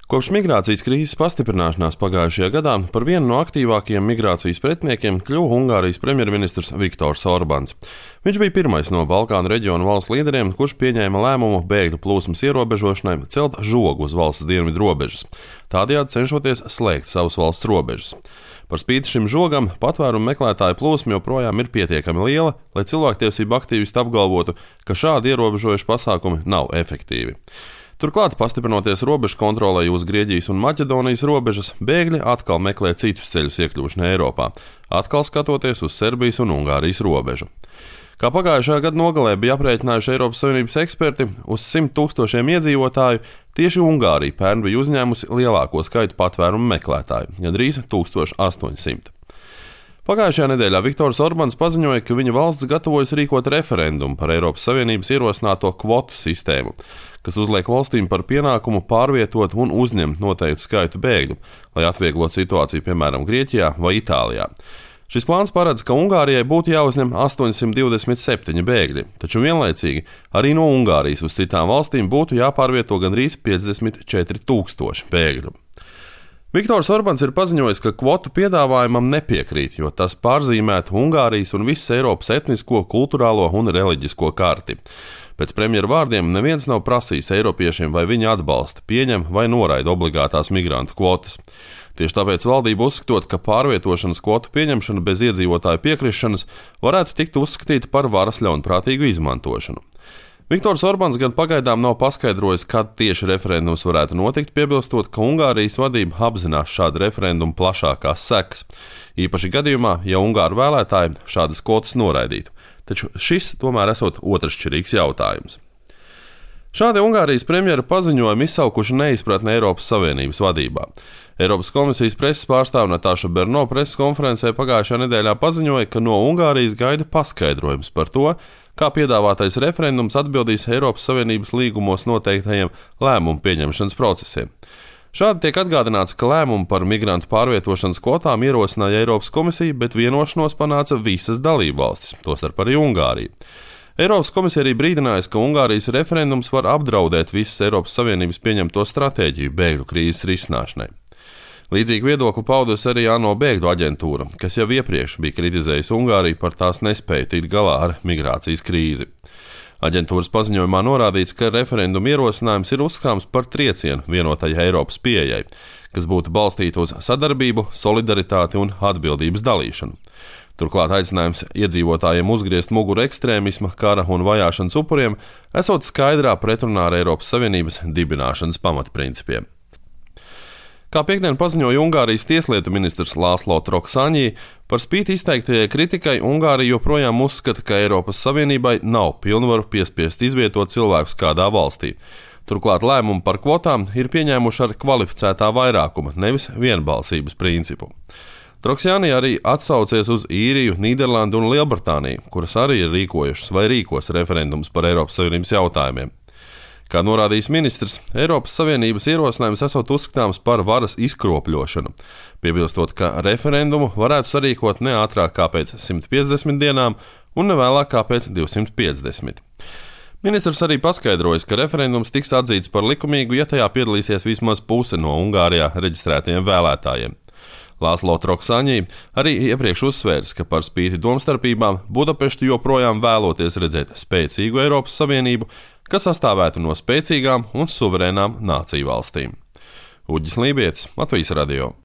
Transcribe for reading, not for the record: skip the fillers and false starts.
Kopš migrācijas krīzes pastiprināšanās pagājušajā gadā par vienu no aktīvākajiem migrācijas pretiniekiem kļuva Ungārijas premjerministrs Viktors Orbāns. Viņš bija pirmais no Balkānu reģionu valsts līderiem, kurš pieņēma lēmumu bēgļu plūsmas ierobežošanai celt žogu uz valsts dienvidu robežas, tādējādi cenšoties slēgt savas valsts robežas. Par spīti šim žogam patvērumu meklētāju plūsma joprojām ir pietiekami liela, lai cilvēktiesību aktīvisti apgalvotu, ka šādi ierobežojuši pasākumi nav efektīvi. Turklāt, pastiprinoties robežu kontrolei uz Grieķijas un Maķedonijas robežas, bēgļi atkal meklē citus ceļus iekļūšanai Eiropā, atkal skatoties uz Serbijas un Ungārijas robežu. Kā pagājušā gada nogalē bija aprēķinājuši Eiropas Savienības eksperti, uz 100 000 iedzīvotāju tieši Ungārija pērn bija uzņēmusi lielāko skaitu patvērumu meklētāju – gandrīz 1800. Pagājušajā nedēļā Viktors Orbāns paziņoja, ka viņa valsts gatavojas rīkot referendumu par Eiropas Savienības ierosināto kvotu sistēmu, kas uzliek valstīm par pienākumu pārvietot un uzņemt noteiktu skaitu bēgļu, lai atvieglotu situāciju, piemēram, Grieķijā vai Itālijā. Šis plāns paredz, ka Ungārijai būtu jāuzņem 827 bēgļi, taču vienlaicīgi arī no Ungārijas uz citām valstīm būtu jāpārvieto gandrīz 54 000 bēgļu. Viktors Orbāns ir paziņojis, ka kvotu piedāvājumam nepiekrīt, jo tas pārzīmētu Ungārijas un visas Eiropas etnisko, kultūrālo un reliģisko karti. Pēc premjera vārdiem neviens nav prasījis eiropiešiem, vai viņi atbalsta, pieņem vai noraida obligātās migrantu kvotas. Tieši tāpēc valdība uzskatot, ka pārvietošanas kvotu pieņemšana bez iedzīvotāju piekrišanas varētu tikt uzskatīta par varas ļaunprātīgu izmantošanu. Viktors Orbāns gan pagaidām nav paskaidrojis, kad tieši referendums varētu notikt, piebilstot, ka Ungārijas vadība apzinās šādu referendumu plašākās sekas. Īpaši gadījumā, ja Ungāru vēlētāji šādas kvotas noraidītu. Taču šis tomēr esot otršķirīgs jautājums. Šādi Ungārijas premjera paziņojumi izsaukuši neizpratni Eiropas Savienības vadībā. Eiropas komisijas preses pārstāve Natāša Berno preses konferencē pagājušajā nedēļā paziņoja, ka no Ungārijas gaida paskaidrojums par to, kā piedāvātais referendums atbildīs Eiropas Savienības līgumos noteiktajiem lēmumu pieņemšanas procesiem. Šādi tiek atgādināts, ka lēmumu par migrantu pārvietošanas kvotām ierosināja Eiropas komisija, bet vienošanos panāca visas dalībvalstis, tostarp arī Ungārija. Eiropas komisija arī brīdinājusi, ka Ungārijas referendums var apdraudēt visas Eiropas Savienības pieņemto stratēģiju bēgļu krīzes risināšanai. Līdzīgu viedokli paudusi arī ANO bēgļu aģentūra, kas jau iepriekš bija kritizējusi Ungāriju par tās nespēju tikt galā ar migrācijas krīzi. Aģentūras paziņojumā norādīts, ka referenduma ierosinājums ir uzskatāms par triecienu vienotajai Eiropas pieejai, kas būtu balstīta uz sadarbību, solidaritāti un atbildības dalīšanu. Turklāt aicinājums iedzīvotājiem uzgriezt muguru ekstrēmisma, kara un vajāšanas upuriem esot skaidrā pretrunā ar Eiropas Savienības dibināšanas pamatprincipiem. Kā piektdien paziņoja Ungārijas tieslietu ministrs László Troksaņi, par spīti izteiktajai kritikai Ungārija joprojām uzskata, ka Eiropas Savienībai nav pilnvaru piespiest izvietot cilvēkus kādā valstī. Turklāt lēmumu par kvotām ir pieņēmuši ar kvalificētā vairākuma, nevis vienbalsības principu. Troksaņi arī atsaucies uz Īriju, Nīderlandi un Lielbritāniju, kuras arī ir rīkojušas vai rīkos referendums par Eiropas Savienības jautājumiem. Kā norādījis ministrs, Eiropas Savienības ierosinājums esot uzskatāms par varas izkropļošanu, piebilstot, ka referendumu varētu sarīkot ne ātrāk kā pēc 150 dienām un ne vēlāk kā pēc 250. Ministrs arī paskaidrojas, ka referendums tiks atzīts par likumīgu, ja tajā piedalīsies vismaz puse no Ungārijā reģistrētajiem vēlētājiem. László Troksaņi arī iepriekš uzsvērs, ka par spīti domstarpībām Budapeštu joprojām vēloties redzēt spēcīgu Eiropas Savienību, kas sastāvētu no spēcīgām un suverēnām nāciju valstīm. Uģis Lībietis, Latvijas radio.